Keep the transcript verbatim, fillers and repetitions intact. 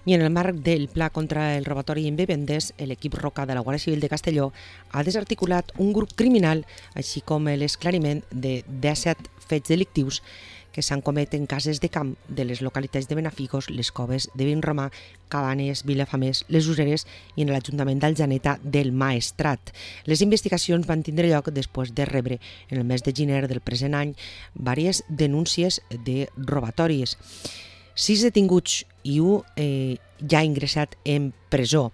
I en el marc del Pla contra el robatori en vivendes, l'equip Roca de la Guàrdia Civil de Castelló ha desarticulat un grup criminal, així com l'esclariment de disset fets delictius que s'han comès en cases de camp de les localitats de Benafigos, les Coves de Vinromà, Cabanes, Vilafamés, les Useres i en l'Ajuntament d'Aljaneta del Maestrat. Les investigacions van tindre lloc després de rebre, en el mes de gener del present any, diverses denúncies de robatoris. Sis detinguts i un eh, ja ingressat en presó.